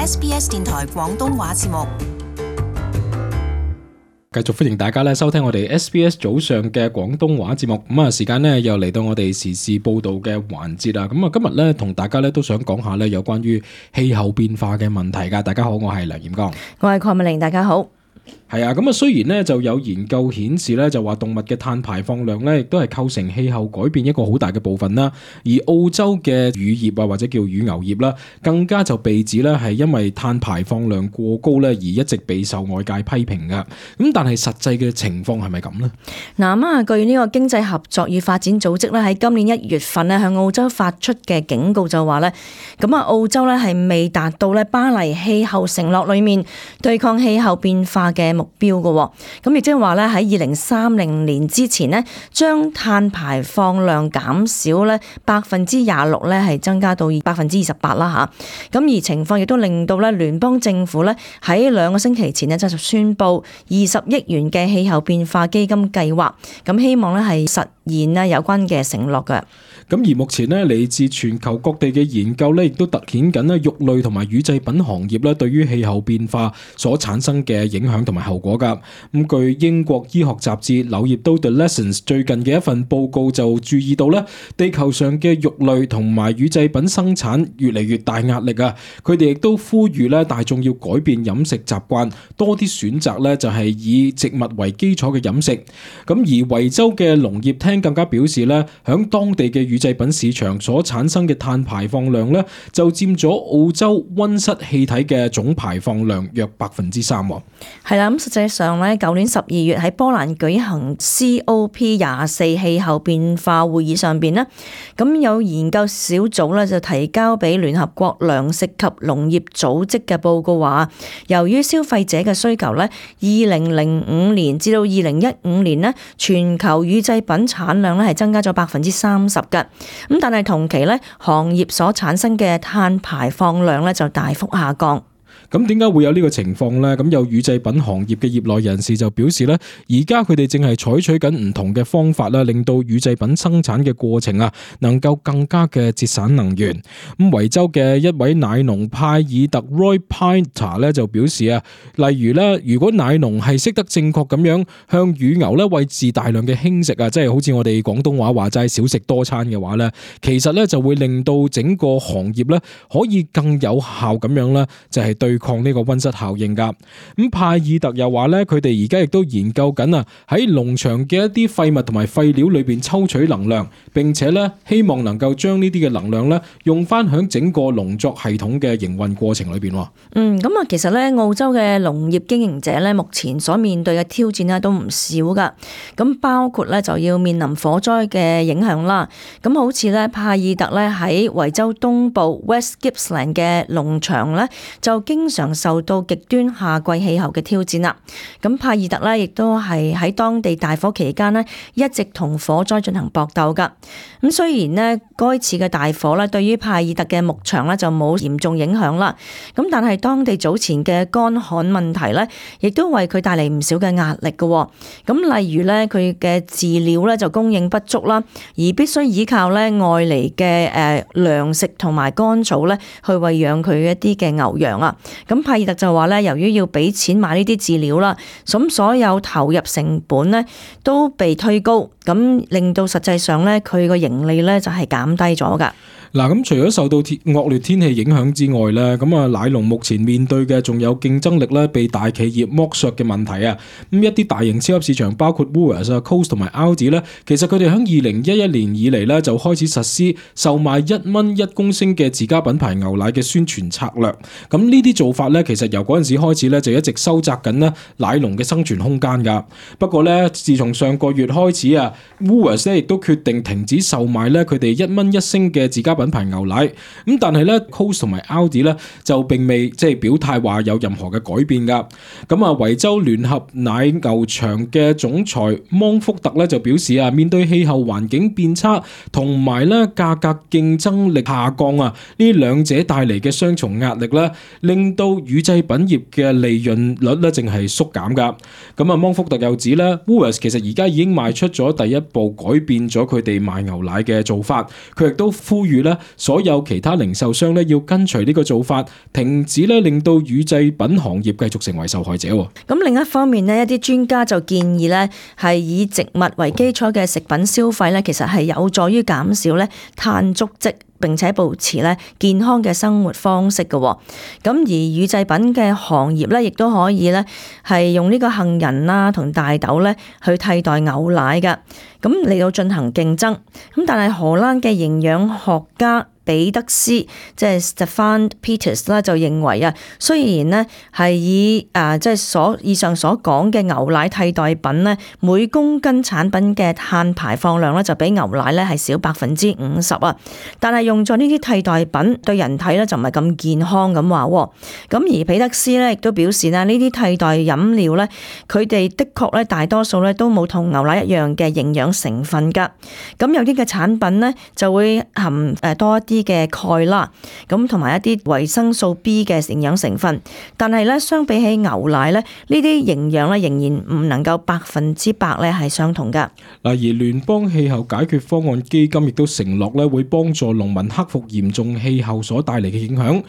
SBS 電台廣東話節目。繼續歡迎大家收聽我哋 SBS 早上嘅廣東話節目。時間又嚟到我哋時事報道嘅環節啦。今日同大家都想講下有關於氣候變化嘅問題噶。大家好，我係梁彥剛，我係鄺美玲，大家好。係啊，雖然就有研究顯示就話動物嘅碳排放量亦都係構成氣候改變一個好大嘅部分啦。而澳洲嘅乳業啊，或者叫乳牛業啦，更加就被指係因為碳排放量過高而一直備受外界批評噶。但係實際嘅情況係咪咁呢？據呢個經濟合作與發展組織喺今年1月份向澳洲發出嘅警告就話澳洲係未達到巴黎氣候承諾裏面對抗氣候變化嘅目標嘅。咁亦即係話喺2030年之前將碳排放量減少26%係增加到28%啦吓。咁而情況亦都令到聯邦政府喺2個星期前就宣布20億元嘅氣候變化基金計劃，咁希望係實現有關嘅承諾嘅。咁而目前嚟自全球各地嘅研究亦都凸顯緊肉類同埋乳製品行業對於氣候變化所產生嘅影響同埋後果噶。咁據英國醫學雜誌《柳葉刀 The Lessons》最近嘅一份報告就注意到地球上嘅肉類同埋乳製品生產越嚟越大壓力啊！佢哋亦都呼籲大眾要改變飲食習慣，多啲選擇就係以植物為基礎嘅飲食。咁而維州嘅農業廳更加表示響當地嘅乳製品市場所產生嘅碳排放量就佔咗澳洲溫室氣體嘅總排放量約3%。係啦，咁實際上舊年12月喺波蘭舉行 COP24 氣候變化會議上邊咁有研究小組就提交俾聯合國糧食及農業組織嘅報告話，由於消費者嘅需求2005年至到2015年全球乳製品產量係增加咗30%嘅。咁但係同期行業所產生嘅碳排放量就大幅下降。咁點解會有呢個情況呢？咁有乳製品行業嘅業內人士就表示而家佢哋正係採取緊唔同嘅方法令到乳製品生產嘅過程能夠更加嘅節省能源。咁維州嘅一位奶農派爾特 Roy Pinter 就表示例如如果奶農係識得正確咁樣向乳牛餵飼大量嘅輕食即係好似我哋廣東話話齋少食多餐嘅話其實就會令到整個行業可以更有效咁樣就係對抗呢個溫室效應噶。咁派爾特又話佢哋而家亦都研究緊喺農場嘅一啲廢物同埋廢料裏邊抽取能量，並且希望能夠將呢啲嘅能量用翻響整個農作系統嘅營運過程裏邊。咁其實澳洲嘅農業經營者目前所面對嘅挑戰都唔少噶。咁包括就要面臨火災嘅影響啦。咁好似派爾特喺維州東部 West Gippsland 嘅農場就經常受到極端夏季氣候嘅挑戰啦。咁派爾特亦都係喺當地大火期間一直同火災進行搏鬥噶。咁雖然該次嘅大火對於派爾特嘅牧場就冇嚴重影響啦。咁但係當地早前嘅乾旱問題亦都為佢帶嚟唔少嘅壓力嘅。咁例如佢嘅飼料就供應不足啦，而必須依靠外嚟嘅糧食同埋乾草去餵養佢一啲嘅牛羊啊。咁派爾特就話由於要俾錢買呢啲飼料啦，咁所有投入成本都被推高，咁令到實際上佢個盈利就係減低咗噶。嗱，咁除咗受到惡劣天氣影響之外咧，咁奶農目前面對嘅仲有競爭力被大企業剝削嘅問題啊。咁一啲大型超級市場包括 Woolworths、Coles 同埋 Aldi 咧，其實佢哋喺2011年以嚟咧就開始實施售賣1蚊1公升嘅自家品牌牛奶嘅宣傳策略。咁呢啲做法咧，其實由嗰陣時開始咧就一直收窄緊咧奶農嘅生存空間噶。不過咧，自從上個月開始啊 ，Woolworths 咧亦都決定停止售賣咧佢哋1蚊1升嘅自家品牌牛奶。咁但係咧 Coles 同埋 Aldi 咧就並未表態話有任何嘅改變噶。咁維州聯合奶牛場嘅總裁芒福特咧就表示啊，面對氣候環境變差同埋咧價格競爭力下降啊，呢兩者帶嚟嘅雙重壓力咧，令到乳製品業嘅利潤率咧淨係縮減噶。咁芒福特又指咧 Woolworths 其實而家已經邁出咗第一步，改變咗佢哋賣牛奶嘅做法。佢亦都呼籲咧咧，所有其他零售商咧要跟隨呢個做法，停止咧令到乳製品行業繼續成為受害者。咁另一方面呢，一啲專家就建議咧，係以植物為基礎嘅食品消費咧，其實係有助於減少咧碳足跡，並且保持咧健康嘅生活方式嘅。咁而乳製品嘅行業咧，亦都可以咧係用呢個杏仁啦同大豆咧去替代牛奶嘅，咁嚟到進行競爭。咁但係荷蘭嘅營養學家彼得斯即係 Stefan Peters 啦，就認為啊，雖然呢係以即係以上所講嘅牛奶替代品呢，每公斤產品嘅碳排放量咧就比牛奶咧係少50%啊，但係用咗呢啲替代品對人體咧就唔係咁健康咁話。咁而彼得斯咧亦都表示呢啲替代飲料咧，佢哋的確咧大多數咧都冇同牛奶一樣嘅營養成分㗎。咁有啲嘅產品呢就會含多一啲嘅鈣啦，咁同埋一啲維生素 B 嘅營養成分，但係咧相比起牛奶咧，呢啲營養咧仍然唔能夠100%咧係相同噶。嗱，而聯邦氣候解決方案基金亦都承諾咧會幫助農民克服嚴重氣候所帶嚟嘅影響。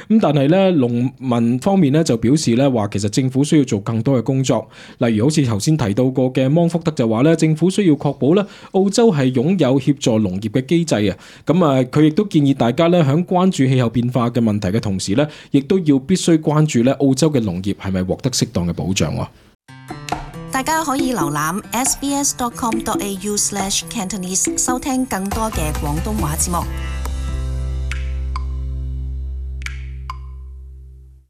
咁但係咧農民方面咧就表示咧話，其實政府需要做更多嘅工作，例如好似頭先提到過嘅芒福德就話咧，政府需要確保咧澳洲係擁有協助農業嘅機制啊。咁佢亦都建議大家咧喺關注氣候變化嘅問題嘅同時咧，亦都要必須關注咧澳洲嘅農業係咪獲得適當嘅保障。大家可以瀏覽 sbs.com.au/Cantonese 收聽更多嘅廣東話節目。